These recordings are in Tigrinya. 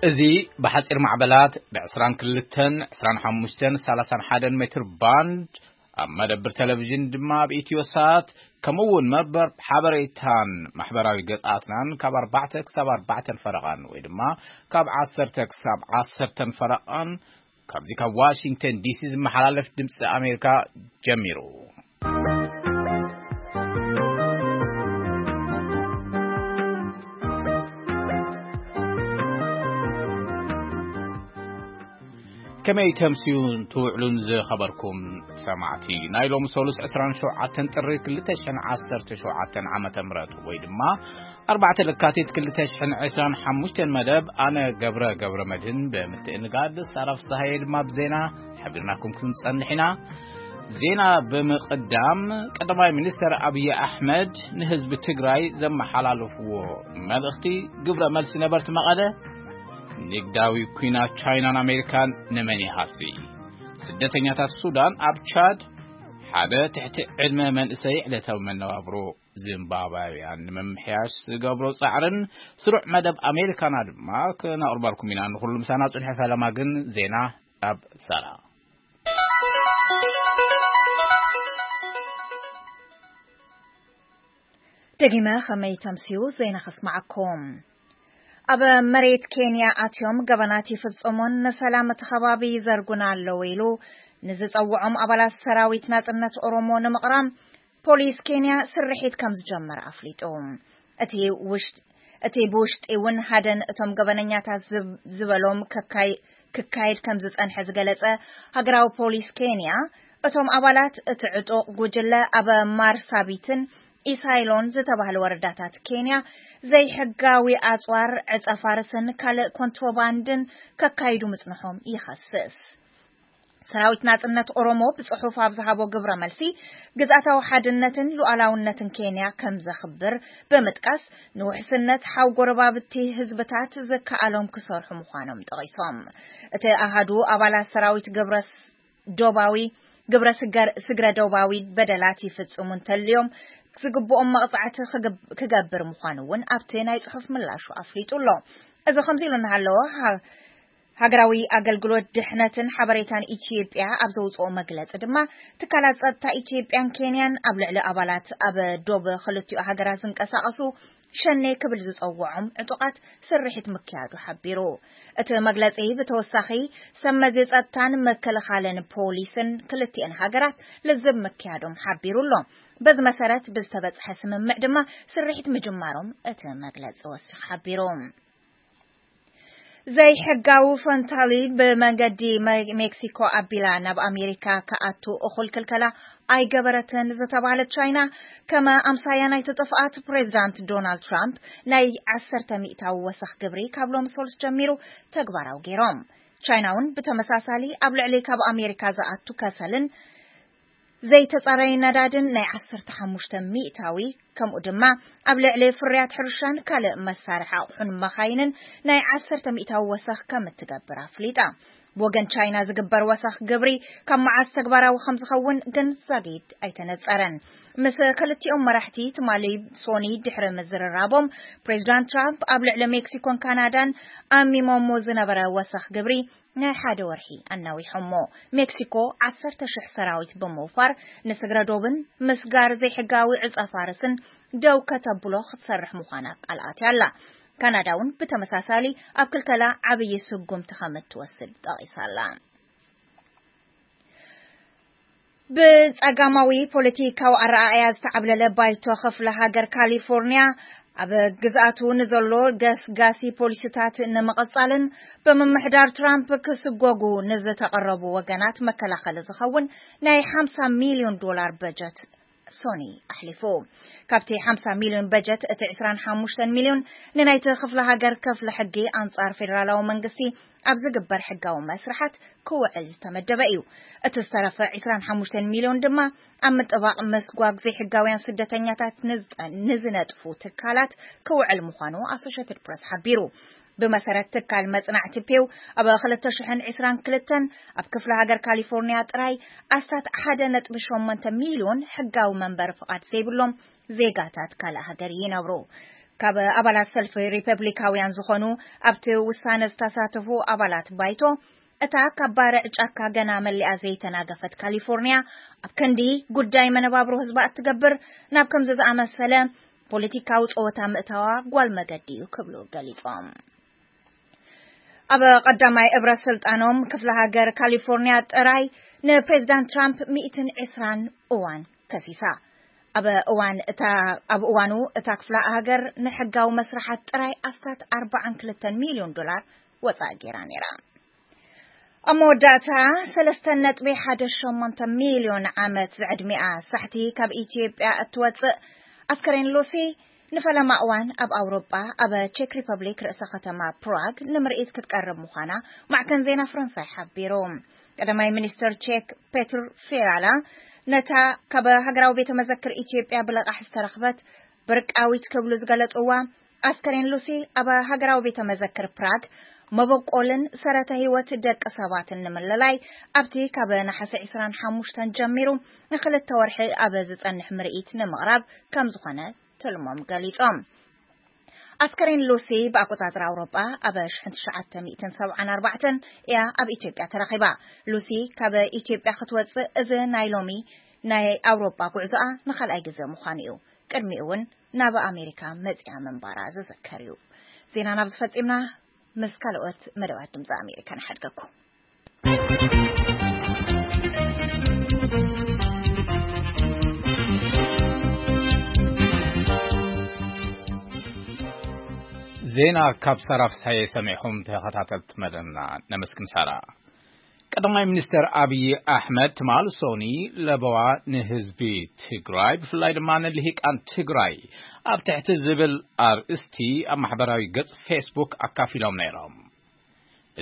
እዚ ብሓጺር ማዕበላት ብ22፣ 25፣ 31 ሜትር ባንድ፣ ኣብ መደብር ቴሌቪዥን ድማ ኣብ ኢትዮ ሳት፣ ከምኡ እውን መርበብ ሓበሬታን ማሕበራዊ ገጻትናን ካብ ኣርባዕተ ክሳብ ኣርባዕተን ፈረቓን ወይ ድማ ካብ ዓሰርተ ክሳብ ዓሰርተን ፈረቓን ካብዚ ካብ ዋሽንግተን ዲሲ ዝመሓላለፍ ድምፂ ኣሜሪካ ጀሚሩ። ከመይ ተምስዩን ትውዕሉን ዝኸበርኩም ሰማዕቲ፣ ናይ ሎሚ ሰሉስ ዕስራን ሸውዓተን ጥሪ ክልተ ሽሕን ዓሰርተ ሸውዓተን ዓመተ ምህረት ወይ ድማ ኣርባዕተ ለካቲት ክልተ ሽሕን ዕስራን ሓሙሽተን መደብ፣ ኣነ ገብረ ገብረ መድህን ብምትእንጋድ ሳራ ፍስሃየ ድማ ብዜና ሓቢርናኩም ክንጸንሕ ኢና። ዜና ብምቕዳም፣ ቀዳማይ ሚኒስተር ኣብይ ኣሕመድ ንህዝቢ ትግራይ ዘመሓላለፍዎ መልእኽቲ፣ ግብረ መልሲ ነበርቲ መቐለ፣ ንግዳዊ ኲናት ቻይናን ኣሜሪካን ንመን ይሃሲ? ስደተኛታት ሱዳን ኣብ ቻድ፣ ሓደ ትሕቲ ዕድመ መንእሰይ ዕለታዊ መነባብሮ ዚምባብያውያን ንምምሕያሽ ዝገብሮ ጻዕርን ስሩዕ መደብ ኣሜሪካና ድማ ክነቕርበልኩም ኢና። ንኹሉ ምሳና ጽንሑ። ፈለማ ግን ዜና ናብ ሳራ። ደጊመ ከመይ ተምስዩ ዜና ከስማዓኩም። ኣብ መሬት ኬንያ ኣትዮም ገበናት ይፍጽሙን ንሰላም እቲ ከባቢ ይዘርጉን ኣለዉ ኢሉ ንዝጸውዖም ኣባላት ሰራዊት ናጽነት ኦሮሞ ንምቕራም ፖሊስ ኬንያ ስርሒት ከም ዝጀመረ ኣፍሊጡ። እቲ ውሽጥ-፣ እቲ ብውሽጢ እውን ሃደን እቶም ገበነኛታት ዝብ-፣ ዝበሎም ከካይ-፣ ክካየድ ከም ዝጸንሐ ዝገለጸ ሃገራዊ ፖሊስ ኬንያ፣ እቶም ኣባላት እቲ ዕጡቕ ጉጅለ ኣብ ማርሳቢትን ኢሳይሎን ዝተባህለ ወረዳታት ኬንያ ዘይሕጋዊ ኣጽዋር፣ ዕጸ ፋርስን ካልእ ኮንትሮባንድን ከካይዱ ምጽንሖም ይኸስስ። ሰራዊት ናጽነት ኦሮሞ ብጽሑፍ ኣብ ዝሃቦ ግብረ መልሲ፣ ግዝኣታዊ ሓድነትን ሉዓላውነትን ኬንያ ከም ዘኽብር ብምጥቃስ፣ ንውሕስነት ሓው ጎረባብቲ ህዝብታት ዝከኣሎም ክሰርሑ ምዃኖም ጠቒሶም። እቲ ኣሃዱ ኣባላት ሰራዊት ግብረ ስ-፣ ዶባዊ፣ ግብረ ስገር-፣ ስግረ ዶባዊ በደላት ይፍጽሙ እንተልዮም፣ ዝግብኦም መቕጻዕቲ ክግብ-፣ ክገብር ምዃኑ እውን ኣብቲ ናይ ጽሑፍ ምላሹ ኣፍሊጡ ኣሎ። እዚ ከምዚ ኢሉ እናሃለወ፣ ሃ-፣ ሃገራዊ ኣገልግሎት ድሕነትን ሓበሬታን ኢትዮጵያ ኣብ ዘውፅኦ መግለፂ ድማ፣ ትካላት ጸጥታ ኢትዮጵያን ኬንያን ኣብ ልዕሊ ኣባላት ኣብ ዶብ ክልቲኡ ሃገራት ዝንቀሳቐሱ ሸኔ ክብል ዝጸውዖም ዕጡቓት ስርሒት ምክያዱ ሓቢሩ። እቲ መግለጺ ብተወሳኺ፣ ሰብ መዚ ጸጥታን ምክልኻልን ፖሊስን ክልቲኤን ሃገራት ልዝብ ምክያዶም ሓቢሩ ኣሎ። በዚ መሰረት ብዝተበጽሐ ስምምዕ ድማ ስርሒት ምጅማሮም እቲ መግለጺ ወሲኹ ሓቢሩ። ዘይሕጋዊ ፈንታሊ ብመንገዲ መ-፣ ሜክሲኮ ኣቢላ ናብ ኣሜሪካ ክኣቱ እኹል ክልከላ ኣይገበረትን ዝተባህለት ቻይና፣ ከመ ኣምሳያ ናይቲ ጥፍኣት ፕሬዚዳንት ዶናልድ ትራምፕ ናይ ዓሰርተ ሚእታዊ ወሰኽ ግብሪ ካብ ሎሚ ሰሉስ ጀሚሩ ተግባራዊ ገይሮም። ቻይና እውን ብተመሳሳሊ ኣብ ልዕሊ ካብ ኣሜሪካ ዝኣቱ ከሰልን ዘይተጻረየ ነዳድን ናይ ዓሰርተ ሓሙሽተ ሚእታዊ፣ ከምኡ ድማ ኣብ ልዕሊ ፍርያት ሕርሻን ካልእ መሳርሒ ኣቑሑን መኻይንን ናይ ዓሰርተ ሚእታዊ ወሰኽ ከም እትገብር ኣፍሊጣ። ብወገን ቻይና ዝግበር ወሰኽ ግብሪ ካብ መዓስ ተግባራዊ ከም ዝኸውን ግን ዛጊድ ኣይተነጸረን። ምስ ክልቲኦም መራሕቲ ትማሊ ሶኒ ድሕሪ ምዝርራቦም፣ ፕሬዚዳንት ትራምፕ ኣብ ልዕሊ ሜክሲኮን ካናዳን ኣሚሞሞ ዝነበረ ወሰኽ ግብሪ ናይ ሓደ ወርሒ ኣናዊሖሞ። ሜክሲኮ ዓሰርተ ሽሕ ሰራዊት ብምውፋር ንስግረ ዶብን ምስጋር ዘይሕጋዊ ዕጸ ፋርስን ደው ከተብሎ ክትሰርሕ ምዃና ቃል ኣትያ ኣላ። ካናዳ እውን ብተመሳሳሊ ኣብ ክልከላ ዓብዪ ስጉምቲ ከም እትወስድ ጠቒሳ ኣላ። ብጸጋማዊ ፖለቲካዊ ኣረኣእያ ዝተዓብለለ ባይቶ ክፍለ ሃገር ካሊፎርኒያ፣ ኣብ ግዝኣቱ ንዘሎ ገስጋሲ ፖሊሲታት ንምቕጻልን ብምምሕዳር ትራምፕ ክስጎጉ ንዝተቐረቡ ወገናት መከላኸሊ ዝኸውን ናይ ሓምሳ ሚልዮን ዶላር በጀት ሶኒ ኣሕሊፉ። ካብቲ ሓምሳ ሚልዮን በጀት፣ እቲ ዕስራን ሓሙሽተን ሚልዮን ንናይቲ ክፍለ ሃገር ክፍለ ሕጊ ኣንጻር ፌደራላዊ መንግስቲ ኣብ ዝግበር ሕጋዊ መስርሓት ክውዕል ዝተመደበ እዩ። እቲ ዝተረፈ ዕስራን ሓሙሽተን ሚልዮን ድማ ኣብ ምጥባቕ መስጓግ ዘይሕጋውያን ስደተኛታት ንዝጠ-፣ ንዝነጥፉ ትካላት ክውዕል ምዃኑ ኣሶሼትድ ፕረስ ሓቢሩ። ብመሰረት ትካል መጽናዕቲ ፒው፣ ኣብ ክልተ ሽሕን ዕስራን ክልተን ኣብ ክፍለ ሃገር ካሊፎርኒያ ጥራይ ኣስታት ሓደ ነጥቢ ሸሞንተ ሚልዮን ሕጋዊ መንበሪ ፍቓድ ዘይብሎም ዜጋታት ካልእ ሃገር ይነብሩ። ካብ ኣባላት ሰልፊ ሪፐብሊካውያን ዝኾኑ ኣብቲ ውሳነ ዝተሳተፉ ኣባላት ባይቶ፣ እታ ካብ ባርዕ ጫካ ገና መሊኣ ዘይተናገፈት ካሊፎርኒያ ኣብ ክንዲ ጉዳይ መነባብሮ ህዝባ እትገብር፣ ናብ ከምዚ ዝኣመሰለ ፖለቲካዊ ጸወታ ምእታዋ ጓል መገዲ እዩ ክብሉ ገሊጾም። ኣብ ቀዳማይ እብረ ስልጣኖም ክፍለ ሃገር ካሊፎርኒያ ጥራይ ንፕሬዚዳንት ትራምፕ ሚእትን ዕስራን እዋን ከሲሳ። ኣብ እዋን እታ ኣብ እዋኑ እታ ክፍለ ሃገር ንሕጋዊ መስርሓት ጥራይ ኣስታት ኣርባዓን ክልተን ሚልዮን ዶላር ወጻኢ ገይራ ነይራ። ኣብ መወዳእታ ሰለስተ ነጥቢ ሓደ ሸሞንተ ሚልዮን ዓመት ዝዕድሚኣ ሳሕቲ ካብ ኢትዮጵያ እትወጽእ ኣስከሬን ሉሲ ንፈለማ እዋን ኣብ ኣውሮጳ ኣብ ቼክ ሪፐብሊክ ርእሰ ከተማ ፕራግ ንምርኢት ክትቀርብ ምዃና ማዕከን ዜና ፈረንሳይ ሓቢሩ። ቀዳማይ ሚኒስትር ቼክ ፔትር ፊያላ ነታ ካብ ሃገራዊ ቤተ መዘክር ኢትዮጵያ ብለቃሕ ዝተረኽበት ብርቃዊት ክብሉ ዝገለጽዋ ኣስከሬን ሉሲ ኣብ ሃገራዊ ቤተ መዘክር ፕራግ መበቆልን ሰረተ ህይወት ደቂ ሰባትን ንምልላይ ኣብቲ ካብ ነሓሰ ዕስራን ሓሙሽተን ጀሚሩ ንክልተ ወርሒ ኣብ ዝጸንሕ ምርኢት ንምቕራብ ከም ዝኾነ ትልሞም ገሊጾም። ኣስከሬን ሉሲ ብኣቆጻጽራ ኣውሮጳ ኣብ ሽሕን ትሽዓተ ሚእትን ሰብዓን ኣርባዕተን እያ ኣብ ኢትዮጵያ ተረኺባ። ሉሲ ካብ ኢትዮጵያ ክትወጽእ እዚ ናይ ሎሚ ናይ ኣውሮጳ ጉዕዞኣ ንኻልኣይ ግዜ ምዃኑ እዩ። ቅድሚኡ እውን ናብ ኣሜሪካ መጺኣ ምንባራ ዝዝከር እዩ። ዜናና ኣብዚ ፈጺምና። ምስ ካልኦት መደባት ድምፂ ኣሜሪካ ንሓድገኩም። ዜና ካብ ሳራ ፍስሓየ ሰሚዕኹም ተኸታተልቲ መደብና ነመስግን። ሳራ፣ ቀዳማይ ሚኒስትር ኣብይ ኣሕመድ ትማል ሶኒ ለበዋ ንህዝቢ ትግራይ ብፍላይ ድማ ንልሂቃን ትግራይ ኣብ ትሕቲ ዝብል ኣርእስቲ ኣብ ማሕበራዊ ገጽ ፌስቡክ ኣካፊሎም ነይሮም።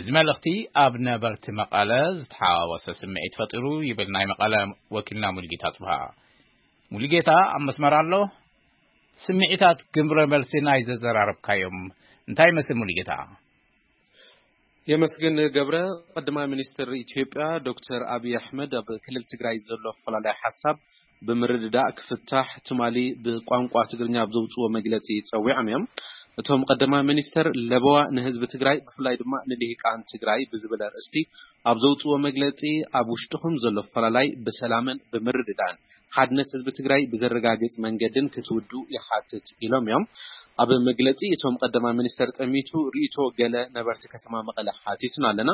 እዚ መልእኽቲ ኣብ ነበርቲ መቐለ ዝተሓዋወሰ ስምዒት ፈጢሩ ይብል ናይ መቐለ ወኪልና ሙሉጌታ ጽብሃ። ሙሉጌታ ኣብ መስመር ኣሎ። ስምዒታት ግብረ መልሲ ናይ ዘዘራረብካዮም እንታይ ይመስል ሙሉጌታ? የመስግን ገብረ። ቀዳማይ ሚኒስትር ኢትዮጵያ ዶክተር ኣብይ ኣሕመድ ኣብ ክልል ትግራይ ዘሎ ኣፈላላይ ሓሳብ ብምርድዳእ ክፍታሕ ትማሊ ብቋንቋ ትግርኛ ኣብ ዘውፅዎ መግለፂ ፀዊዖም እዮም። እቶም ቀዳማይ ሚኒስትር ለበዋ ንህዝቢ ትግራይ ብፍላይ ድማ ንልሂቃን ትግራይ ብዝብል ኣርእስቲ ኣብ ዘውፅዎ መግለፂ ኣብ ውሽጥኹም ዘሎ ኣፈላላይ ብሰላምን ብምርድዳእን ሓድነት ህዝቢ ትግራይ ብዘረጋግፅ መንገድን ክትውዱ ይሓትት ኢሎም እዮም። ኣብ መግለፂ እቶም ቀዳማይ ሚኒስተር ጠሚቱ ርእይቶ ገለ ነበርቲ ከተማ መቐለ ሓቲትና ኣለና።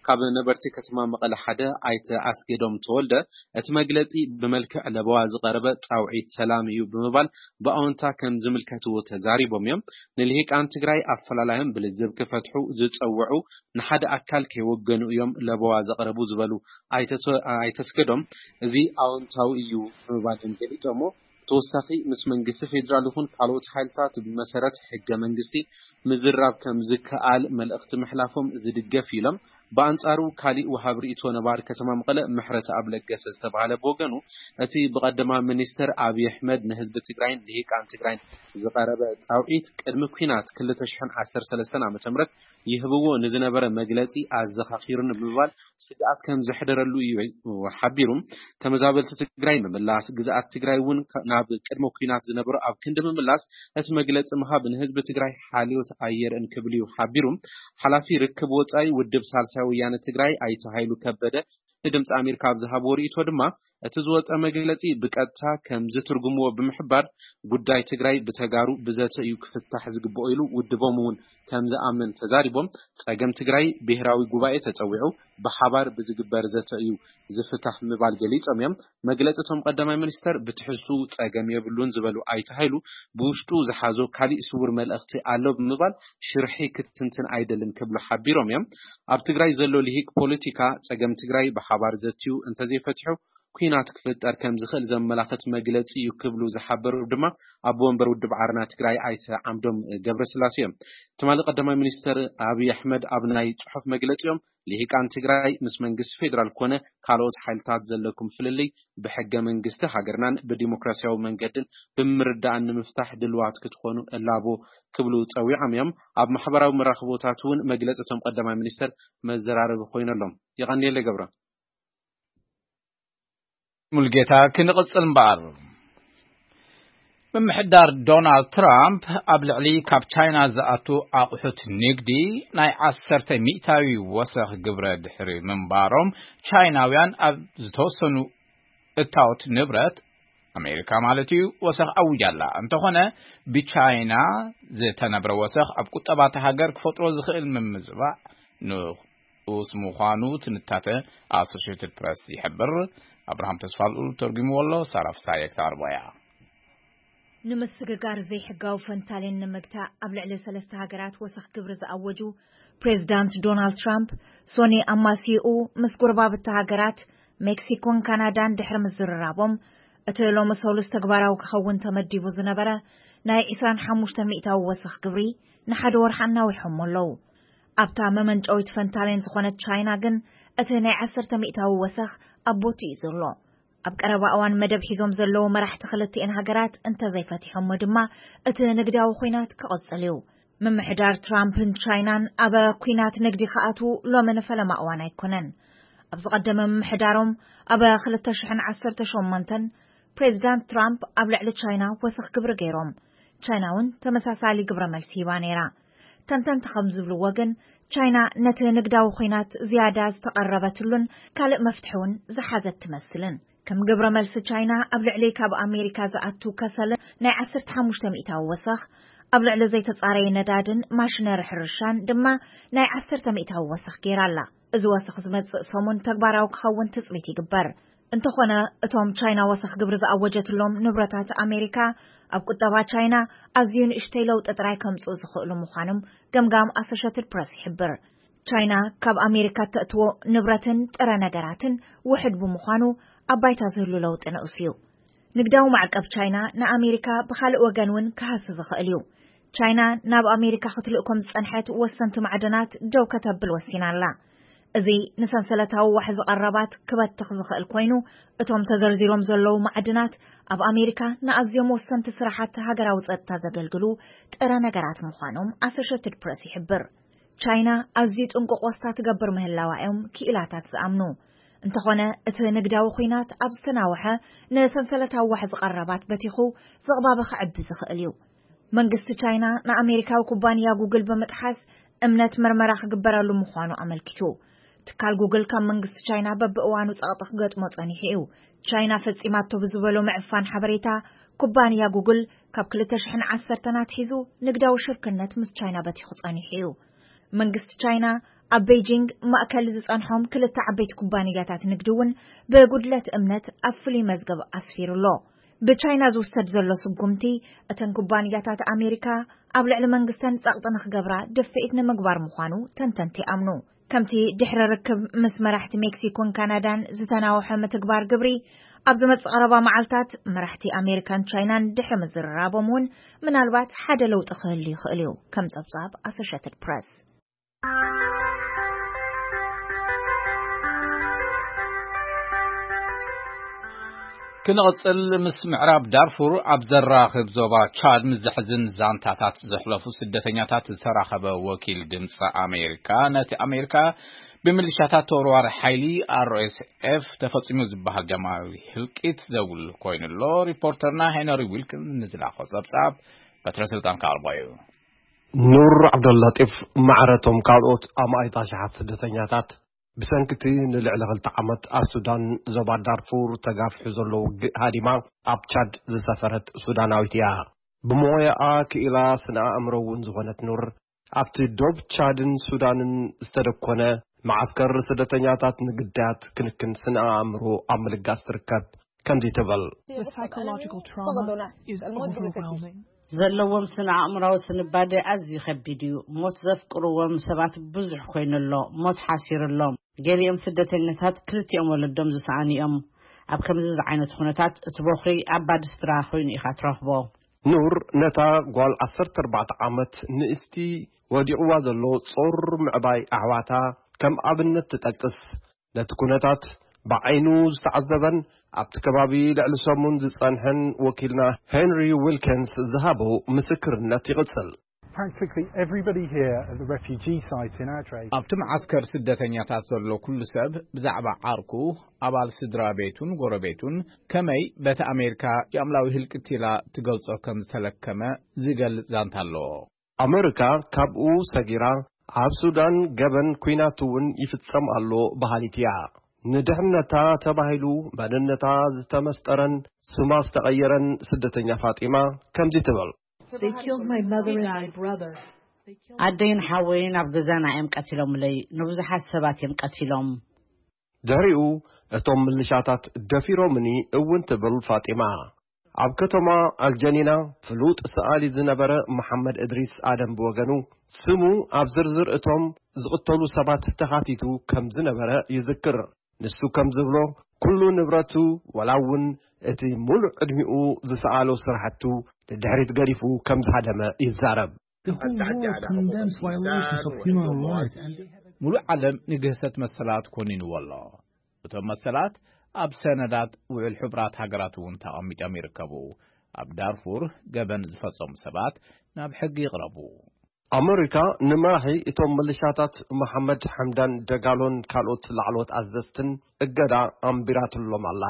ካብ ነበርቲ ከተማ መቐለ ሓደ ኣይተ ኣስገዶም ተወልደ እቲ መግለፂ ብመልክዕ ለበዋ ዝቐረበ ፃውዒት ሰላም እዩ ብምባል ብኣወንታ ከም ዝምልከትዎ ተዛሪቦም እዮም። ንልሂቃን ትግራይ ኣፈላላዮም ብልዝብ ክፈትሑ ዝፀውዑ ንሓደ ኣካል ከይወገኑ እዮም ለበዋ ዘቕረቡ ዝበሉ ኣይተ ኣስገዶም፣ እዚ ኣወንታዊ እዩ ብምባል እዮም ገሊጾሞ። ተወሳኺ ምስ መንግስቲ ፌዴራል ይኹን ካልኦት ሓይልታት ብመሰረት ሕገ መንግስቲ ምዝራብ ከም ዝከኣል መልእኽቲ ምሕላፎም ዝድገፍ ኢሎም። ብኣንጻሩ ካሊእ ወሃብ ርእይቶ ነባሪ ከተማ መቐለ ምሕረተኣብ ለገሰ ዝተባህለ ብወገኑ እቲ ብቐደማ ሚኒስትር ኣብይ ኣሕመድ ንህዝቢ ትግራይን ልሂቃን ትግራይን ዝቐረበ ጻውዒት ቅድሚ ኲናት ክልተ ሽሕን ዓሰርተ ሰለስተን ዓመተ ምህረት ይህብዎ ንዝነበረ መግለጺ ኣዘኻኺሩኒ ብምባል ስግኣት ከም ዘሕደረሉ እዩ ሓቢሩ። ተመዛበልቲ ትግራይ ምምላስ፣ ግዝኣት ትግራይ እውን ናብ ቅድመ ኲናት ዝነበሮ ኣብ ክንዲ ምምላስ እቲ መግለፂ ምሃብ ንህዝቢ ትግራይ ሓልዮት ኣየርእን ክብል እዩ ሓቢሩ። ሓላፊ ርክብ ወፃኢ ውድብ ሳልሳይ ወያነ ትግራይ ኣይተ ሃይሉ ከበደ ንድምፂ ኣሜሪካ ኣብ ዝሃብዎ ርእይቶ ድማ እቲ ዝወፀ መግለፂ ብቀጥታ ከም ዝትርጉምዎ ብምሕባር ጉዳይ ትግራይ ብተጋሩ ብዘተ እዩ ክፍታሕ ዝግብኦ ኢሉ ውድቦም እውን ከም ዝኣምን ተዛሪቦም። ጸገም ትግራይ ብሄራዊ ጉባኤ ተጸዊዑ ብሓባር ብዝግበር ዘተ እዩ ዝፍታሕ ምባል ገሊጾም እዮም። መግለጺ እቶም ቀዳማይ ሚኒስተር ብትሕዝትኡ ጸገም የብሉን ዝበሉ ኣይተ ሃይሉ ብውሽጡ ዝሓዞ ካሊእ ስውር መልእኽቲ ኣሎ ብምባል ሽርሒ ክትንትን ኣይደልን ክብሉ ሓቢሮም እዮም። ኣብ ትግራይ ዘሎ ልሂቅ ፖለቲካ ጸገም ትግራይ ብሓባር ዘትዩ እንተዘይፈትሑ ኲናት ክፍጠር ከም ዝኽእል ዘመላኽት መግለጺ እዩ ክብሉ ዝሓበሩ ድማ ኣቦ ወንበር ውድብ ዓረና ትግራይ ኣይተ ዓምዶም ገብረስላሴ እዮም። ትማሊ ቀዳማይ ሚኒስትር ኣብይ ኣሕመድ ኣብ ናይ ጽሑፍ መግለጺኦም ልሂቃን ትግራይ ምስ መንግስቲ ፌዴራል ኮነ ካልኦት ሓይልታት ዘለኩም ፍልልይ ብሕገ መንግስቲ ሃገርናን ብዲሞክራሲያዊ መንገድን ብምርዳእን ንምፍታሕ ድልዋት ክትኾኑ እላቦ ክብሉ ጸዊዖም እዮም። ኣብ ማሕበራዊ መራኽቦታት እውን መግለጺ እቶም ቀዳማይ ሚኒስትር መዘራረቢ ኮይነሎም። የቐንየለ ገብረ። ሙልጌታ ክንቕጽል እምበኣር። ምምሕዳር ዶናልድ ትራምፕ ኣብ ልዕሊ ካብ ቻይና ዝኣቱ ኣቑሑት ንግዲ ናይ ዓሰርተ ሚእታዊ ወሰኽ ግብረ ድሕሪ ምንባሮም፣ ቻይናውያን ኣብ ዝተወሰኑ እታወት ንብረት፣ ኣሜሪካ ማለት እዩ፣ ወሰኽ ኣውጃ ኣላ። እንተኾነ፣ ብቻይና ዝተነብረ ወሰኽ ኣብ ቁጠባ እታ ሃገር ክፈጥሮ ዝኽእል ምምዝባዕ ንኡስ ምዃኑ ትንታተ ኣሶሽየትድ ፕረስ ይሕብር። ኣብርሃም ተስፋልኡል ተርጉምዎ ኣሎ፣ ሳራ ፍሳየ ክተቕርቦ እያ። ንምስግጋር ዘይሕጋዊ ፈንታሌን ንምግታእ ኣብ ልዕሊ ሰለስተ ሃገራት ወሰኽ ግብሪ ዝኣወጁ ፕሬዚዳንት ዶናልድ ትራምፕ፣ ሶኒ ኣማስይኡ ምስ ጎረባብቲ ሃገራት ሜክሲኮን ካናዳን ድሕሪ ምዝርራቦም፣ እቲ ሎሚ ሰሉስ ተግባራዊ ክኸውን ተመዲቡ ዝነበረ ናይ ዕስራን ሓሙሽተ ሚእታዊ ወሰኽ ግብሪ ንሓደ ወርሒ ኣናዊሖሞ ኣለዉ። ኣብታ መመንጨዊት ፈንታሌን ዝኾነት ቻይና ግን፣ እቲ ናይ ዓሰርተ ሚእታዊ ወሰኽ ኣብ ቦትኡ እዩ ዘሎ። ኣብ ቀረባ እዋን መደብ ሒዞም ዘለዉ መራሕቲ ክልቲኤን ሃገራት እንተዘይፈቲሖሞ ድማ፣ እቲ ንግዳዊ ኲናት ክቕጽል እዩ። ምምሕዳር ትራምፕን ቻይናን ኣብ ኲናት ንግዲ ክኣትዉ ሎሚ ንፈለማ እዋን ኣይኮነን። ኣብ ዝቐደመ ምምሕዳሮም፣ ኣብ ክልተ ሽሕን ዓሰርተ ሸሞንተን ፕሬዚዳንት ትራምፕ ኣብ ልዕሊ ቻይና ወሰኽ ግብሪ ገይሮም። ቻይና እውን ተመሳሳሊ ግብረ መልሲ ሂባ ነይራ። ተንተንቲ ከም ዝብልዎ ግን፣ ቻይና ነቲ ንግዳዊ ኲናት ዝያዳ ዝተቐረበትሉን ካልእ መፍትሒ እውን ዝሓዘት ትመስልን። ከም ግብረ መልሲ፣ ቻይና ኣብ ልዕሊ ካብ ኣሜሪካ ዝኣቱ ከሰልን ናይ ዓሰርተ ሓሙሽተ ሚእታዊ ወሰኽ፣ ኣብ ልዕሊ ዘይተጻረየ ነዳድን ማሽነሪ ሕርሻን ድማ ናይ ዓሰርተ ሚእታዊ ወሰኽ ገይራ ኣላ። እዚ ወሰኽ ዝመጽእ ሰሙን ተግባራዊ ክኸውን ትጽቢት ይግበር። እንተኾነ፣ እቶም ቻይና ወሰኽ ግብሪ ዝኣወጀትሎም ንብረታት ኣሜሪካ፣ ኣብ ቁጠባ ቻይና ኣዝዩ ንእሽተይ ለውጢ ጥራይ ከምጽኡ ዝኽእሉ ምዃኖም ገምጋም ኣሶሼትድ ፕረስ ይሕብር። ቻይና ካብ ኣሜሪካ እተእትዎ ንብረትን ጥረ ነገራትን ውሑድ ብምዃኑ፣ ኣብ ባይታ ዝህሉ ለውጢ ንኡስ እዩ። ንግዳዊ ማዕቀብ ቻይና ንኣሜሪካ ብኻልእ ወገን እውን ክሃሲ ዝኽእል እዩ። ቻይና ናብ ኣሜሪካ ክትልእኮም ዝጸንሐት ወሰንቲ ማዕድናት ደው ከተብል ወሲና ኣላ። እዚ ንሰንሰለታዊ ዋሕዚ ቀረባት ክበትኽ ዝኽእል ኮይኑ፣ እቶም ተዘርዚሮም ዘለዉ ማዕድናት ኣብ ኣሜሪካ ንኣዝዮም ወሰንቲ ስራሓት ሃገራዊ ጸጥታ ዘገልግሉ ጥረ ነገራት ምዃኖም ኣሶሼትድ ፕረስ ይሕብር። ቻይና ኣዝዩ ጥንቁቕ ወስታ ትገብር ምህላዋ እዮም ክኢላታት ዝኣምኑ። እንተኾነ፣ እቲ ንግዳዊ ኲናት ኣብ ዝተናውሐ፣ ንሰንሰለታዊ ዋሕዚ ቀረባት በቲኹ ዝቕባበ ክዕቢ ዝኽእል እዩ። መንግስቲ ቻይና ንኣሜሪካዊ ኩባንያ ጉግል ብምጥሓስ እምነት መርመራ ክግበረሉ ምዃኑ ኣመልኪቱ። ትካል ጉግል ካብ መንግስቲ ቻይና በብእዋኑ ጸቕጢ ክገጥሞ ጸኒሑ እዩ። ቻይና ፈጺማቶ ብዝበሎ ምዕፋን ሓበሬታ፣ ኩባንያ ጉግል ካብ ክልተ ሽሕን ዓሰርተን ኣትሒዙ ንግዳዊ ሽርክነት ምስ ቻይና በቲኹ ጸኒሑ እዩ። መንግስቲ ቻይና ኣብ ቤይጂንግ ማእከል ዝጸንሖም ክልተ ዓበይቲ ኩባንያታት ንግዲ እውን ብጉድለት እምነት ኣብ ፍሉይ መዝገብ ኣስፊሩ ኣሎ። ብቻይና ዝውሰድ ዘሎ ስጉምቲ፣ እተን ኩባንያታት ኣሜሪካ ኣብ ልዕሊ መንግስተን ጸቕጢ ንኽገብራ ድፍኢት ንምግባር ምዃኑ ተንተንቲ ይኣምኑ። ከምቲ ድሕሪ ርክብ ምስ መራሕቲ ሜክሲኮን ካናዳን ዝተናውሐ ምትግባር ግብሪ፣ ኣብ ዝመጽእ ቀረባ መዓልታት መራሕቲ ኣሜሪካን ቻይናን ድሕሪ ምዝርራቦም እውን ምናልባት ሓደ ለውጢ ክህሉ ይኽእል እዩ፣ ከም ጸብጻብ ኣሶሼትድ ፕረስ። ክንቕጽል፣ ምስ ምዕራብ ዳርፉር ኣብ ዘራኽብ ዞባ ቻድ ምስ ዘሕዝን ዛንታታት ዘሕለፉ ስደተኛታት ዝተራኸበ ወኪል ድምፂ ኣሜሪካ፣ ነቲ ኣሜሪካ ብምልሻታት ተወርዋሪ ሓይሊ ኣርኤስኤፍ ተፈጺሙ ዝበሃል ደማዊ ህልቂት ዘጉልህ ኮይኑ ኣሎ። ሪፖርተርና ሄነሪ ዊልኪንስ ንዝላኾ ጸብጻብ በትረ ስልጣን ክኣልቦ እዩ። ኑር ዓብደላጢፍ ማዕረቶም ካልኦት ኣማኢት ኣሽሓት ስደተኛታት ብሰንኪ እቲ ንልዕሊ ክልተ ዓመት ኣብ ሱዳን ዞባ ዳርፉር ተጋፊሑ ዘሎ ውግእ ሃዲማ ኣብ ቻድ ዝሰፈረት ሱዳናዊት እያ። ብሞያኣ ክኢላ ስነ ኣእምሮ እውን ዝኾነት ኑር፣ ኣብቲ ዶብ ቻድን ሱዳንን ዝተደኮነ መዓስከር ስደተኛታት ንግዳያት ክንክን ስነ ኣእምሮ ኣብ ምልጋስ ትርከብ። ከምዚ ትብል። The psychological trauma is overwhelming. ዘለዎም ስነ ኣእምራዊ ስንባደ ኣዝዩ ከቢድ እዩ። ሞት ዘፍቅርዎም ሰባት ብዙሕ ኮይኑ ኣሎ። ሞት ሓሲሩ ኣሎ። ገሊኦም ስደተኛታት ክልቲኦም ወለዶም ዝሰኣኑ እዮም። ኣብ ከምዚ ዝዓይነቱ ኩነታት እቲ ቦኽሪ ኣብ ባድስትራ ኮይኑ ኢኻ ትረኽቦ። ኑር ነታ ጓል ዓሰርተ ኣርባዕተ ዓመት ንእስቲ ወዲቕዋ ዘሎ ጾር ምዕባይ ኣሕዋታ ከም ኣብነት ትጠቅስ። ነቲ ኩነታት ብዓይኑ ዝተዓዘበን ኣብቲ ከባቢ ልዕሊ ሰሙን ዝጸንሐን ወኪልና ሄንሪ ዊልኪንስ ዝሃቦ ምስክርነት ይቕጽል። Practically everybody here at the refugee site in Adre. ኣብቲ መዓስከር ስደተኛታት ዘሎ ኩሉ ሰብ ብዛዕባ ዓርኩ፣ ኣባል ስድራ ቤቱን ጎረቤቱን ከመይ በቲ ኣሜሪካ ጃምላዊ ህልቅት ኢላ ትገልጾ ከም ዝተለከመ ዝገልጽ ዛንታ ኣሎ። ኣመሪካ ካብኡ ሰጊራ ኣብ ሱዳን ገበን ኲናት እውን ይፍጸም ኣሎ በሃሊት እያ። ንድሕነታ ተባሂሉ መንነታ ዝተመስጠረን ስማ ዝተቐየረን ስደተኛ ፋጢማ ከምዚ ትብል። They killed my mother and my brother. ኣደይን ሓወይን ኣብ ገዛና እዮም ቀቲሎምለይ። ንብዙሓት ሰባት እዮም ቀቲሎም። ድሕሪኡ እቶም ምልሻታት ደፊሮምኒ እውን ትብል ፋጢማ። ኣብ ከተማ ኣልጀኒና ፍሉጥ ሰኣሊ ዝነበረ መሓመድ እድሪስ ኣደም ብወገኑ፣ ስሙ ኣብ ዝርዝር እቶም ዝቕተሉ ሰባት ተኻቲቱ ከም ዝነበረ ይዝክር። ንሱ ከም ዝብሎ፣ ኩሉ ንብረቱ፣ ዋላ እውን እቲ ሙሉእ ዕድሚኡ ዝሰኣሎ ስራሕቱ ንድሕሪት ገዲፉ ከም ዝሃደመ ይዛረብ። The whole world condemns violations of human rights. ሙሉእ ዓለም ንግህሰት መሰላት ኮኒንዎ ኣሎ። እቶም መሰላት ኣብ ሰነዳት ውዕል ሕቡራት ሃገራት እውን ተቐሚጦም ይርከቡ። ኣብ ዳርፉር ገበን ዝፈጸሙ ሰባት ናብ ሕጊ ይቕረቡ። ኣመሪካ ንመራሒ እቶም ምልሻታት መሓመድ ሓምዳን ደጋሎን ካልኦት ላዕለዎት ኣዘዝትን እገዳ ኣንቢራትሎም ኣላ።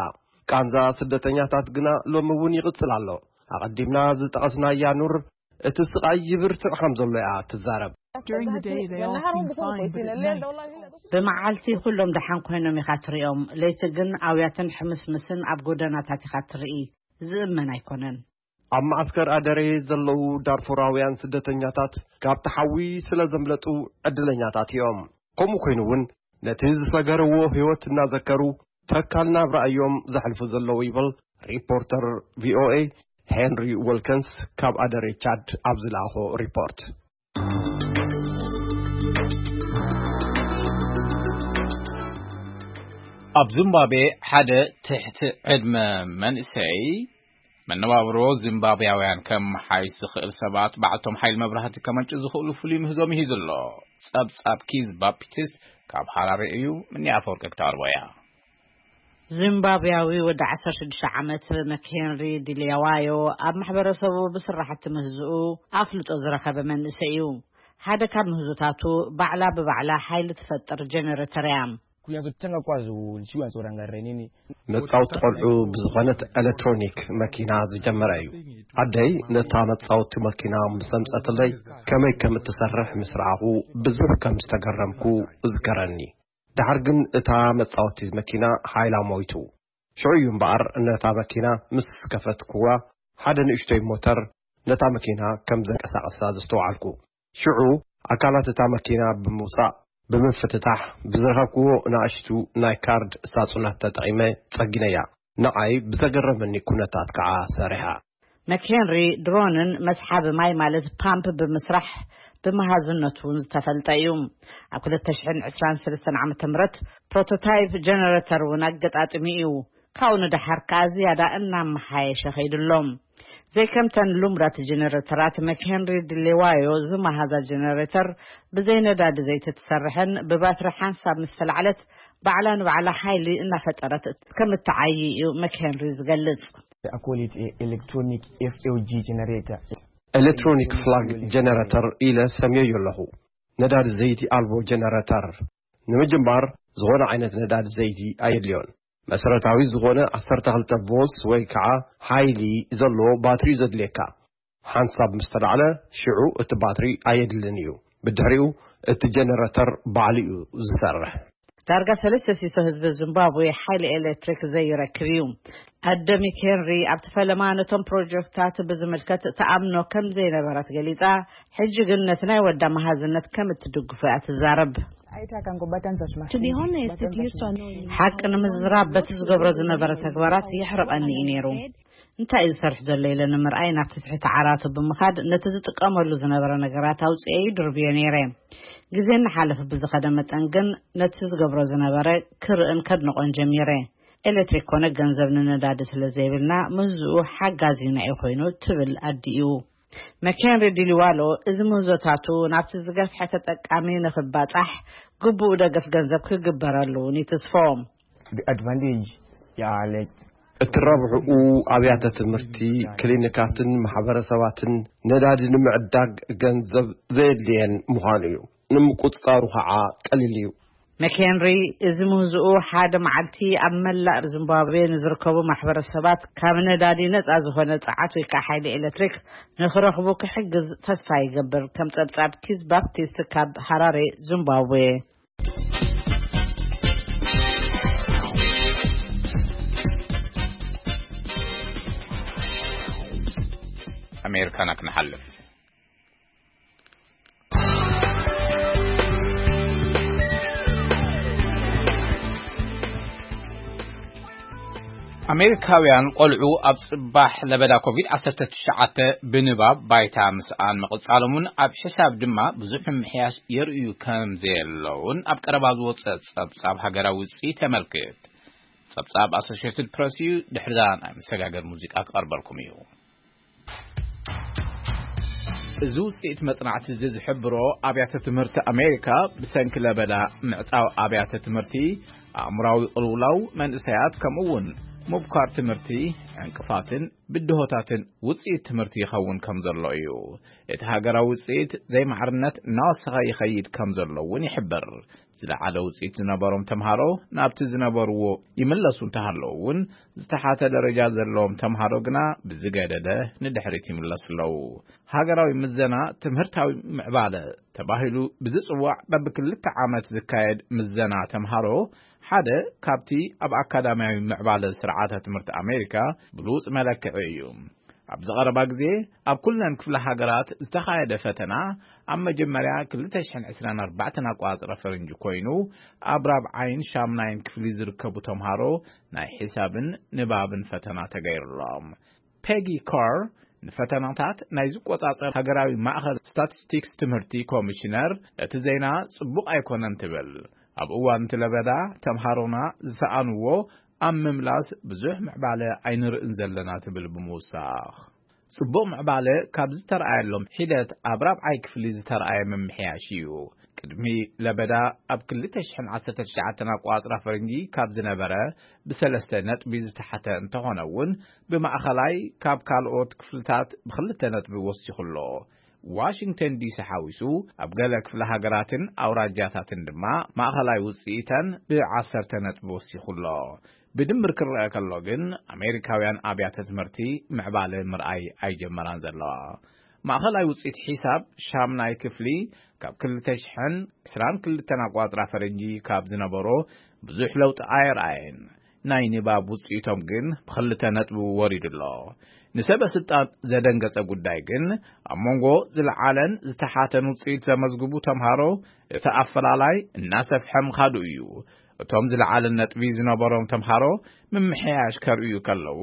ቃንዛ ስደተኛታት ግና ሎሚ እውን ይቕጽል ኣሎ። ኣቐዲምና ዝጠቐስናያ ኑር እቲ ስቓይ ይብርትዕ ከም ዘሎ እያ ትዛረብ። During the day, they all seem fine, but at night, ብመዓልቲ ኩሎም ደሓን ኮይኖም ኢኻ ትሪኦም፣ ለይቲ ግን ኣውያትን ሕምስምስን ኣብ ጎደናታት ኢኻ ትርኢ። ዝእመን ኣይኮነን። ኣብ መዓስከር ኣደሬ ዘለዉ ዳርፉራውያን ስደተኛታት ካብቲ ሓዊ ስለ ዘምለጡ ዕድለኛታት እዮም። ከምኡ ኮይኑ እውን ነቲ ዝሰገርዎ ህይወት እናዘከሩ ተካል ናብራ እዮም ዘሕልፉ ዘለዉ ይብል ሪፖርተር ቪኦኤ ሄንሪ ወልከንስ ካብ ኣደሬ ቻድ ኣብ ዝለኣኾ ሪፖርት። ኣብ ዚምባብዌ ሓደ ትሕቲ ዕድመ መንእሰይ መነባብሮ ዚምባብያውያን ከመሓይሽ ዝኽእል ሰባት ባዕልቶም ሓይሊ መብራህቲ ከመንጩ ዝኽእሉ ፍሉይ ምህዞ ምሂዙ ኣሎ። ጸብጻብ ኪዝ ባፒትስ ካብ ሃራሬ እዩ። ምኒ ኣፈወርቂ ክተቕርቦ እያ። ዚምባብያዊ ወዲ ዓሰርተ ሽዱሽተ ዓመት መክሄንሪ ዲልያዋዮ ኣብ ማሕበረሰቡ ብስራሕቲ ምህዝኡ ኣፍልጦ ዝረኸበ መንእሰይ እዩ። ሓደ ካብ ምህዞታቱ ባዕላ ብባዕላ ሓይሊ ትፈጥር ጀነሬተር እያ። Kuyanza kutanga kwazo nchiwanza urangare nini? መጻወቲ ቆልዑ ብዝኾነት ኤሌክትሮኒክ መኪና ዝጀመረ እዩ። ኣደይ ነታ መጻወቲ መኪና ምስ ኣምጸትለይ ከመይ ከም እትሰርሕ ምስ ረኣኹ ብዙሕ ከም ዝተገረምኩ እዝከረኒ። ድሓር ግን እታ መጻወቲ መኪና ሓይላ ሞይቱ። ሽዑ እዩ እምበኣር ነታ መኪና ምስ ከፈትኩዋ ሓደ ንእሽቶይ ሞተር ነታ መኪና ከም ዘንቀሳቐሳ ዘስተውዓልኩ። ሽዑ ኣካላት እታ መኪና ብምውጻእ ብምፍትታሕ ብዝረኸብክዎ ንኣሽቱ ናይ ካርድ ሳጹናት ተጠቒመ ጸጊነያ። ንዓይ ብዘገረመኒ ኩነታት ከዓ ሰሪሓ። መክሄንሪ ድሮንን መስሓቢ ማይ ማለት ፓምፕ ብምስራሕ ብመሃዝነቱ እውን ዝተፈልጠ እዩ። ኣብ ክልተ ሽሕን ዕስራን ሰለስተን ዓመተ ምህረት ፕሮቶታይፕ ጀነሬተር እውን ኣገጣጥሚ እዩ። ካብኡ ንደሓር ከኣ ዝያዳ እናመሓየሸ ኸይዱ ኣሎ። ዘይከምተን ልሙዳት ጀነሬተራት መክሄንሪ ድሌዋዮ ዝመሃዛ ጀነሬተር ብዘይ ነዳዲ ዘይቲ ትሰርሕን ብባትሪ ሓንሳብ ምስ ተላዕለት ባዕላ ንባዕላ ሓይሊ እናፈጠረት ከም እትዓዪ እዩ መክሄንሪ ዝገልጽ። I call it a electronic F L G generator. ኤሌክትሮኒክ ፍላግ ጀነሬተር ኢለ ሰምየዮ ኣለኹ። ነዳዲ ዘይቲ ኣልቦ ጀነሬተር። ንምጅማር ዝኾነ ዓይነት ነዳዲ ዘይቲ ኣየድልዮን። መሰረታዊ ዝኾነ ዓሰርተ ክልተ ቮልትስ ወይ ከዓ ሓይሊ ዘለዎ ባትሪ እዩ ዘድልየካ። ሓንሳብ ምስ ተላዕለ ሽዑ እቲ ባትሪ ኣየድልን እዩ። ብድሕሪኡ እቲ ጀነሬተር ባዕሉ እዩ ዝሰርሕ። ዳርጋ ሰለስተ ሲሶ ህዝቢ ዚምባብዌ ሓይሊ ኤሌክትሪክ ዘይረክብ እዩ። ኣደ ሚክ ሄንሪ ኣብቲ ፈለማ ነቶም ፕሮጀክትታት ብዝምልከት ተኣምኖ ከም ዘይነበራት ገሊጻ፣ ሕጂ ግን ነቲ ናይ ወዳ መሃዝነት ከም እትድግፎ እያ ትዛረብ። Aita akangobatanza To be zvimasimbi. honest, it used to annoy me. ሓቂ ንምዝራብ በቲ ዝገብሮ ዝነበረ ተግባራት የሕርቐኒ እዩ ነይሩ። እንታይ እዩ ዝሰርሕ ዘሎ ኢለ ንምርኣይ ናብቲ ትሕቲ ዓራቱ ብምኻድ ነቲ ዝጥቀመሉ ዝነበረ ነገራት ኣውፅኤ ይድርብዮ ነይረ። ግዜ እናሓለፈ ብዝኸደ መጠን ግን ነቲ ዝገብሮ ዝነበረ ክርእን ከድንቖን ጀሚረ። ኤሌክትሪክ ኮነ ገንዘብ ንነዳዲ ስለ ዘይብልና ምህዝኡ ሓጋዚና እዩ ኮይኑ ትብል ኣዲኡ። መኬንሪ ዲሊዋሎ እዚ ምህዞታቱ ናብቲ ዝገፍሐ ተጠቃሚ ንኽባጻሕ ግቡእ ደገፍ ገንዘብ ክግበረሉ እውን ይትስፎ። The advantage, yeah, like እቲ ረብሕኡ ኣብያተ ትምህርቲ፣ ክሊኒካትን ማሕበረሰባትን ነዳዲ ንምዕዳግ ገንዘብ ዘየድልየን ምዃኑ እዩ። ንምቁጽጻሩ ኸዓ ቀሊል እዩ። መኬንሪ፣ እዚ ምህዝኡ ሓደ መዓልቲ ኣብ መላእ ዚምባብዌ ንዝርከቡ ማሕበረሰባት ካብ ነዳዲ ነጻ ዝኾነ ጸዓት ወይ ከዓ ሓይሊ ኤሌክትሪክ ንኽረኽቡ ክሕግዝ ተስፋ ይገብር። ከም ጸብጻብ ኪዝ ባፕቲስት ካብ ሃራሬ ዚምባብዌ። ኣሜሪካና ክንሓልፍ። ኣሜሪካውያን ቆልዑ ኣብ ጽባሕ ለበዳ ኮቪድ ዓሰርተ ትሽዓተ ብንባብ ባይታ ምስኣን ምቕጻሎምን ኣብ ሕሳብ ድማ ብዙሕ ምምሕያሽ የርእዩ ከም ዘየለውን ኣብ ቀረባ ዝወጸ ጸብጻብ ሃገራዊ ውጽኢት የመልክት። ጸብጻብ ኣሶሽየትድ ፕረስ እዩ። ድሕሪዛ ናይ መሰጋገር ሙዚቃ ክቐርበልኩም እዩ። እዚ ውጽኢት መጽናዕቲ እዚ ዝሕብሮ፣ ኣብያተ ትምህርቲ ኣሜሪካ ብሰንኪ ለበዳ ምዕጻው ኣብያተ ትምህርቲ፣ ኣእምራዊ ቅልውላው መንእሰያት፣ ከምኡ እውን ምብኳር ትምህርቲ፣ ዕንቅፋትን ብድሆታትን ውጽኢት ትምህርቲ ይኸውን ከም ዘሎ እዩ። እቲ ሃገራዊ ውጽኢት ዘይማዕርነት እናወሰኸ ይኸይድ ከም ዘሎ እውን ይሕብር። ዝለዓለ ውጽኢት ዝነበሮም ተምሃሮ ናብቲ ዝነበርዎ ይምለሱ እንተሃለዉ እውን፣ ዝተሓተ ደረጃ ዘለዎም ተምሃሮ ግና ብዝገደደ ንድሕሪት ይምለሱ ኣለዉ። ሃገራዊ ምዘና ትምህርታዊ ምዕባለ ተባሂሉ ብዝጽዋዕ በብክልተ ዓመት ዝካየድ ምዘና ተምሃሮ ሓደ ካብቲ ኣብ ኣካዳሚያዊ ምዕባለ ስርዓተ ትምህርቲ ኣሜሪካ ብሉጽ መለክዒ እዩ። ኣብዚ ቀረባ ግዜ ኣብ ኩለን ክፍለ ሃገራት ዝተኻየደ ፈተና ኣብ መጀመርያ ክልተ ሽሕን ዕስራን ኣርባዕተን ኣቆጻጽራ ፈረንጂ ኮይኑ፣ ኣብ ራብዓይን ሻምናይን ክፍሊ ዝርከቡ ተምሃሮ ናይ ሒሳብን ንባብን ፈተና ተገይሩሎም። ፔጊ ካር ንፈተናታት ናይ ዝቆጻጸር ሃገራዊ ማእኸል ስታቲስቲክስ ትምህርቲ ኮሚሽነር፣ እቲ ዜና ጽቡቕ ኣይኮነን ትብል። ኣብ እዋን እቲ ለበዳ ተምሃሮና ዝሰኣንዎ ኣብ ምምላስ ብዙሕ ምዕባለ ኣይንርእን ዘለና ትብል ብምውሳኽ፣ ጽቡቕ ምዕባለ ካብ ዝተረኣየሎም ሒደት ኣብ ራብዓይ ክፍሊ ዝተረኣየ ምምሕያሽ እዩ። ቅድሚ ለበዳ ኣብ ክልተ ሽሕን ዓሰርተ ትሽዓተን ኣቆጻጽራ ፈረንጂ ካብ ዝነበረ ብሰለስተ ነጥቢ ዝተሓተ እንተኾነ እውን፣ ብማእኸላይ ካብ ካልኦት ክፍልታት ብክልተ ነጥቢ ወሲኹ ኣሎ። ዋሽንግተን ዲሲ ሓዊሱ ኣብ ገለ ክፍለ ሃገራትን ኣውራጃታትን ድማ ማእኸላይ ውጽኢተን ብዓሰርተ ነጥቢ ወሲኹ ኣሎ። ብድምር ክረአ ከሎ ግን፣ ኣሜሪካውያን ኣብያተ ትምህርቲ ምዕባለ ምርኣይ ኣይጀመራን ዘለዋ። ማእኸላይ ውጽኢት ሒሳብ ሻምናይ ክፍሊ ካብ ክልተ ሽሕን ዕስራን ክልተን ኣቋጽራ ፈረንጂ ካብ ዝነበሮ ብዙሕ ለውጢ ኣየርኣየን። ናይ ንባብ ውጽኢቶም ግን ብኽልተ ነጥቢ ወሪዱ ኣሎ። ንሰበ ስልጣን ዘደንገጸ ጉዳይ ግን፣ ኣብ መንጎ ዝለዓለን ዝተሓተን ውጽኢት ዘመዝግቡ ተምሃሮ እቲ ኣፈላላይ እናሰፍሐ ምኻዱ እዩ። እቶም ዝለዓለ ነጥቢ ዝነበሮም ተምሃሮ ምምሕያሽ ከርእዩ ከለዉ፣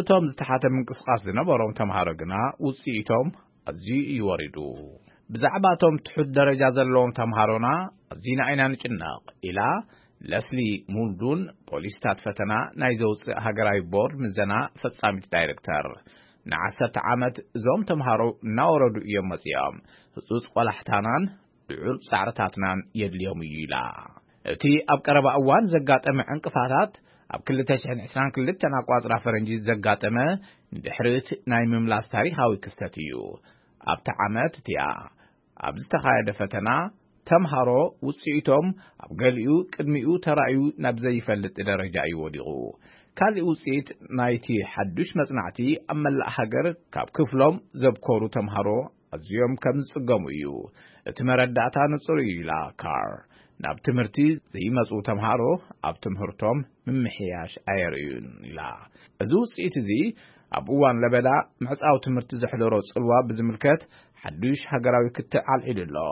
እቶም ዝተሓተ ምንቅስቓስ ዝነበሮም ተምሃሮ ግና ውጽኢቶም ኣዝዩ እዩ ወሪዱ። ብዛዕባ እቶም ትሑት ደረጃ ዘለዎም ተምሃሮና ኣዚና ኢና ንጭነቕ፣ ኢላ ለስሊ ሙልዱን፣ ፖሊስታት ፈተና ናይ ዘውፅእ ሃገራዊ ቦርድ ምዘና ፈጻሚት ዳይሬክተር። ንዓሰርተ ዓመት እዞም ተምሃሮ እናወረዱ እዮም መጺኦም። ህጹጽ ቆላሕታናን ልዑል ጻዕርታትናን የድልዮም እዩ፣ ኢላ። እቲ ኣብ ቀረባ እዋን ዘጋጠመ ዕንቅፋታት፣ ኣብ ክልተ ሽሕን ዕስራን ክልተን ኣቋጽራ ፈረንጂ ዘጋጠመ ንድሕሪት ናይ ምምላስ ታሪኻዊ ክስተት እዩ። ኣብቲ ዓመት እቲኣ ኣብ ዝተኻየደ ፈተና፣ ተምሃሮ ውጽኢቶም ኣብ ገሊኡ ቅድሚኡ ተራእዩ ናብ ዘይፈልጥ ደረጃ እዩ ወዲቑ። ካልእ ውጽኢት ናይቲ ሓዱሽ መጽናዕቲ፣ ኣብ መላእ ሃገር ካብ ክፍሎም ዘብኮሩ ተምሃሮ ኣዝዮም ከም ዝጽገሙ እዩ። እቲ መረዳእታ ንጹር እዩ፣ ኢላ ካር። ናብ ትምህርቲ ዘይመጹ ተምሃሮ ኣብ ትምህርቶም ምምሕያሽ ኣየርእዩን፣ ኢላ። እዚ ውጽኢት እዚ ኣብ እዋን ለበዳ ምዕጻው ትምህርቲ ዘሕደሮ ጽልዋ ብዝምልከት ሓዱሽ ሃገራዊ ክትዕ ኣልዒሉ ኣሎ።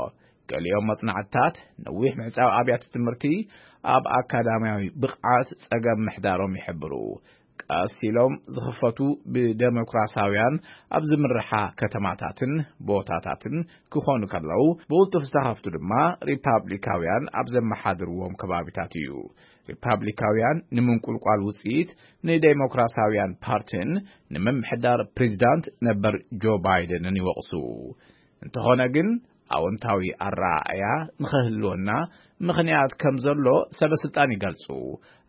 ገሊኦም መጽናዕትታት ነዊሕ ምዕጻው ኣብያተ ትምህርቲ ኣብ ኣካዳሚያዊ ብቕዓት ጸገም ምሕዳሮም ይሕብሩ። ቀስ ኢሎም ዝኽፈቱ ብደሞክራሲያውያን ኣብ ዝምርሓ ከተማታትን ቦታታትን ክኾኑ ከለዉ፣ ብቕልጡፍ ዝተኸፍቱ ድማ ሪፓብሊካውያን ኣብ ዘመሓድርዎም ከባቢታት እዩ። ሪፓብሊካውያን ንምንቁልቋል ውጽኢት ንዴሞክራሲያውያን ፓርቲን ንምምሕዳር ፕሬዚዳንት ነበር ጆ ባይደንን ይወቕሱ። እንተኾነ ግን፣ ኣወንታዊ ኣረኣእያ ንኽህልወና ምኽንያት ከም ዘሎ ሰበ ስልጣን ይገልጹ።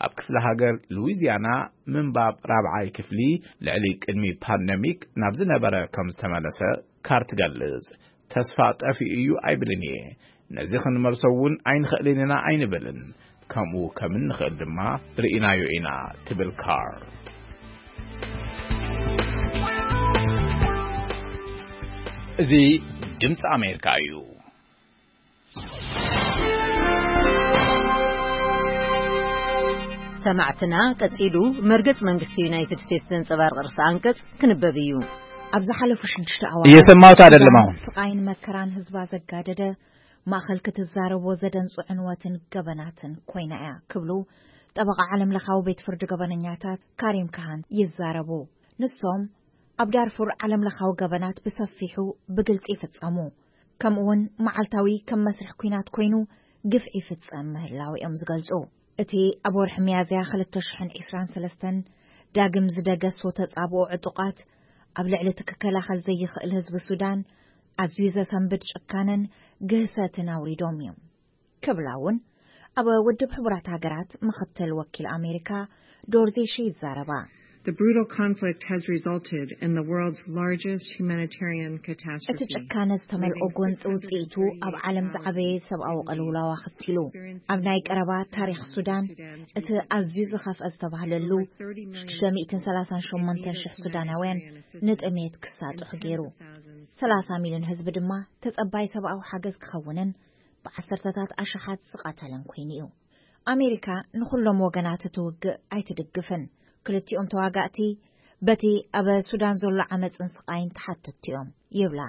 ኣብ ክፍለ ሃገር ሉዊዚያና ምንባብ ራብዓይ ክፍሊ ልዕሊ ቅድሚ ፓንደሚክ ናብ ዝነበረ ከም ዝተመለሰ ካር ትገልጽ። ተስፋ ጠፊኡ እዩ ኣይብልን እየ። ነዚ ክንመልሶ እውን ኣይንኽእልን ኢና ኣይንብልን። ከምኡ ከም እንኽእል ድማ ርኢናዮ ኢና ትብል ካር። እዚ ድምፂ ኣሜሪካ እዩ። ሰማዕትና ቀጺሉ መርገጽ መንግስቲ ዩናይትድ ስቴትስ ዘንጸባርቕ ርእሰ ኣንቀጽ ክንበብ እዩ። ኣብ ዝሓለፉ ሽዱሽተ ኣዋርሕ እየሰማሁት ኣይደለም ኣሁን። ስቓይን መከራን ህዝባ ዘጋደደ ማእኸል ክትዛረቦ ዘደንጹ ዕንወትን ገበናትን ኮይና እያ ክብሉ ጠበቓ ዓለም ለኻዊ ቤት ፍርዲ ገበነኛታት ካሪም ካሃን ይዛረቡ። ንሶም ኣብ ዳርፉር ዓለም ለኻዊ ገበናት ብሰፊሑ ብግልጺ ይፍጸሙ፣ ከምኡውን መዓልታዊ ከም መስርሕ ኲናት ኮይኑ ግፍዒ ይፍጸም ምህላው እዮም ዝገልጹ። እቲ ኣብ ወርሒ ሚያዝያ ክልተ ሽሕን ዕስራን ሰለስተን ዳግም ዝደገሶ ተጻብኦ ዕጡቓት ኣብ ልዕሊ እቲ ክከላኸል ዘይኽእል ህዝቢ ሱዳን ኣዝዩ ዘሰንብድ ጭካነን ግህሰትን ኣውሪዶም እዮም ክብላ እውን ኣብ ውድብ ሕቡራት ሃገራት ምኽትል ወኪል ኣሜሪካ ዶርዚ ሺ ይዛረባ። The brutal conflict has resulted in the world's largest humanitarian catastrophe. እቲ ጭካነ ዝተመልኦ ጎንፂ ውፅኢቱ ኣብ ዓለም ዝዓበየ ሰብኣዊ ቅልውላው ኣኸቲሉ። ኣብ ናይ ቀረባ ታሪኽ ሱዳን እቲ ኣዝዩ ዝኸፍአ ዝተባህለሉ ሽዱሽተ ሚእትን ሰላሳን ሸሞንተን ሽሕ ሱዳናውያን ንጥሜት ክሳጥሑ ገይሩ። ሰላሳ ሚልዮን ህዝቢ ድማ ተጸባይ ሰብኣዊ ሓገዝ ክኸውንን ብዓሰርተታት ኣሽሓት ዝቐተለን ኮይኑ እዩ። ኣሜሪካ ንኹሎም ወገናት እቲ ውግእ ኣይትድግፍን። ክልቲኦም ተዋጋእቲ በቲ ኣብ ሱዳን ዘሎ ዓመጽን ስቓይን ተሓተትቲ እዮም ይብላ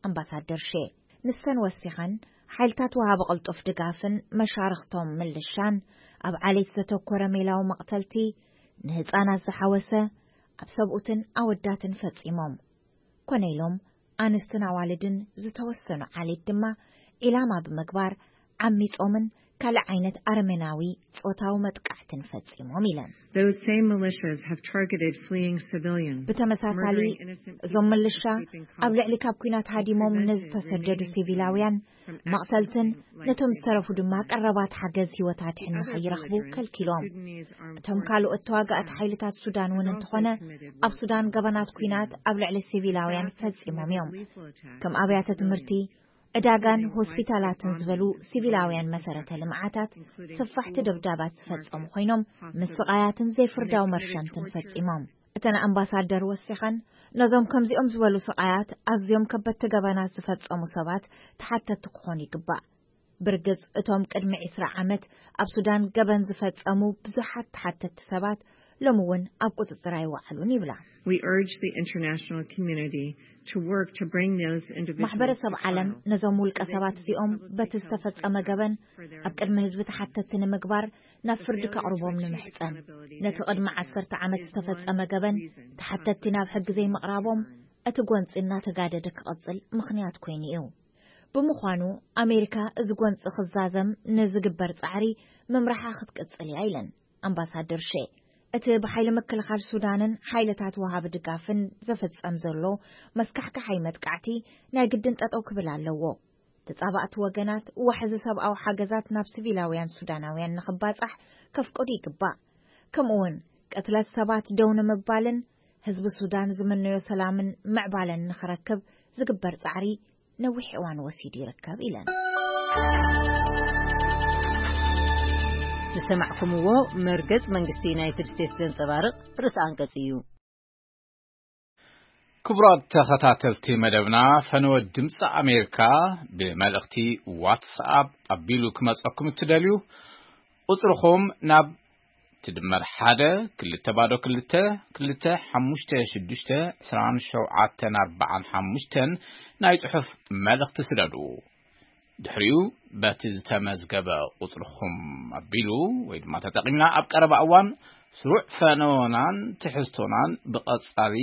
ኣምባሳደር ሼ። ንሰን ወሲኸን ሓይልታት ወሃቢ ቅልጡፍ ድጋፍን መሻርኽቶም ምልሻን ኣብ ዓሌት ዘተኮረ ሜላዊ መቕተልቲ ንህፃናት ዝሓወሰ ኣብ ሰብኡትን ኣወዳትን ፈጺሞም። ኮነ ኢሎም ኣንስትን ኣዋልድን ዝተወሰኑ ዓሌት ድማ ዒላማ ብምግባር ዓሚጾምን ካልእ ዓይነት ኣረሜናዊ ጾታዊ መጥቃዕትን ፈጺሞም ኢለን። Those same militias have targeted fleeing civilians, ብተመሳሳሊ murdering innocent እዞም people ምልሻ escaping ኣብ ልዕሊ conflict, ካብ ኲናት ሃዲሞም executing ነዚ ተሰደዱ civilians ሲቪላውያን from መቕተልትን accessing life ነቶም saving ዝተረፉ ድማ supplies. ቀረባት ሓገዝ ህይወት ኣድሕን ንኸይረኽቡ ከልኪሎም። እቶም ካልኦት ተዋጋእቲ ሓይልታት ሱዳን እውን እንተኾነ ኣብ ሱዳን ገበናት ኲናት ኣብ ልዕሊ ሲቪላውያን ፈጺሞም እዮም። ከም ኣብያተ ትምህርቲ፣ ዕዳጋን ሆስፒታላትን ዝበሉ ሲቪላውያን መሰረተ ልምዓታት ሰፋሕቲ ደብዳባት ዝፈጸሙ ኮይኖም ምስቓያትን ዘይፍርዳዊ መርሸንትን ፈጺሞም። እተን ኣምባሳደር ወሲኸን ነዞም ከምዚኦም ዝበሉ ስቓያት ኣዝዮም ከበድቲ ገበናት ዝፈጸሙ ሰባት ተሓተትቲ ክኾኑ ይግባእ። ብርግጽ እቶም ቅድሚ ዕስራ ዓመት ኣብ ሱዳን ገበን ዝፈጸሙ ብዙሓት ተሓተትቲ ሰባት ሎሚ እውን ኣብ ቁጽጽር ኣይወዓሉን ይብላ። We urge the international community to work to bring those individuals ማሕበረሰብ ዓለም ነዞም ውልቀ ሰባት እዚኦም በቲ ዝተፈጸመ ገበን ኣብ ቅድሚ ህዝቢ ተሓተትቲ ንምግባር ናብ ፍርዲ ከቕርቦም ንምሕጸን። ነቲ ቅድሚ ዓሰርተ ዓመት ዝተፈጸመ ገበን ተሓተትቲ ናብ ሕጊ ዘይምቕራቦም እቲ ጎንጺ እናተጋደደ ክቐጽል ምኽንያት ኮይኑ እዩ። ብምዃኑ ኣሜሪካ እዚ ጎንጺ ክዛዘም ንዝግበር ጻዕሪ ምምራሓ ክትቅጽል እያ ኢለን ኣምባሳደር ሼ። እቲ ብሓይሊ ምክልኻል ሱዳንን ሓይልታት ወሃቢ ድጋፍን ዝፍጸም ዘሎ መስካሕካሓይ መጥቃዕቲ ናይ ግድን ጠጠው ክብል ኣለዎ። ተጻባእቲ ወገናት ዋሕዚ ሰብኣዊ ሓገዛት ናብ ሲቪላውያን ሱዳናውያን ንኽባጻሕ ከፍቅዱ ይግባእ። ከምኡውን ቅትለት ሰባት ደው ንምባልን ህዝቢ ሱዳን ዝምነዮ ሰላምን ምዕባለን ንኽረክብ ዝግበር ጻዕሪ ነዊሕ እዋን ወሲዱ ይርከብ ኢለን። ዝሰማዕኩምዎ መርገጽ መንግስቲ ዩናይትድ ስቴትስ ዘንጸባርቕ ርእሰ ኣንቀጽ እዩ። ክቡራት ተኸታተልቲ መደብና፣ ፈነወ ድምፂ ኣሜሪካ ብመልእኽቲ ዋትስኣፕ ኣቢሉ ክመፀኩም እትደልዩ ቁፅርኹም ናብ ትድመር ሓደ ክልተ ባዶ ክልተ ክልተ ሓሙሽተ ሽዱሽተ ዕስራን ሸውዓተን ኣርባዓን ሓሙሽተን ናይ ጽሑፍ መልእኽቲ ስደዱ። ድሕሪኡ በቲ ዝተመዝገበ ቁጽርኹም ኣቢሉ ወይ ድማ ተጠቒምና ኣብ ቀረባ እዋን ስሩዕ ፈነወናን ትሕዝቶናን ብቐጻሊ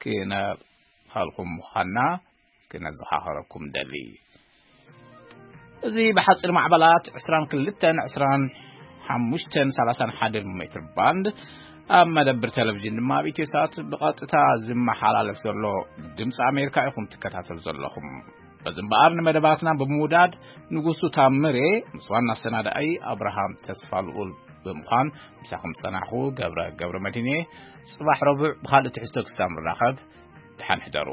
ክነብኸልኩም ምዃንና ክነዘኻኸረኩም ደሊ። እዚ ብሓጺር ማዕበላት ዕስራን ክልተን ዕስራን ሓሙሽተን ሰላሳን ሓደን ሜትር ባንድ ኣብ መደብር ቴሌቪዥን ድማ ኣብ ኢትዮ ሳት ብቐጥታ ዝመሓላለፍ ዘሎ ድምፂ ኣሜሪካ ኢኹም ትከታተሉ ዘለኹም። በዚ እምበኣር ንመደባትና ብምውዳድ ንጉሱ ታምሬ ምስ ዋና ኣሰናዳኣይ ኣብርሃም ተስፋ ልኡል ብምዃን ምሳኹም ዝጸናሕኹ ገብረ ገብረ መድህን እየ። ጽባሕ ረቡዕ ብኻልእ ትሕዝቶ ክሳብ ንራኸብ ደሓን ሕደሩ።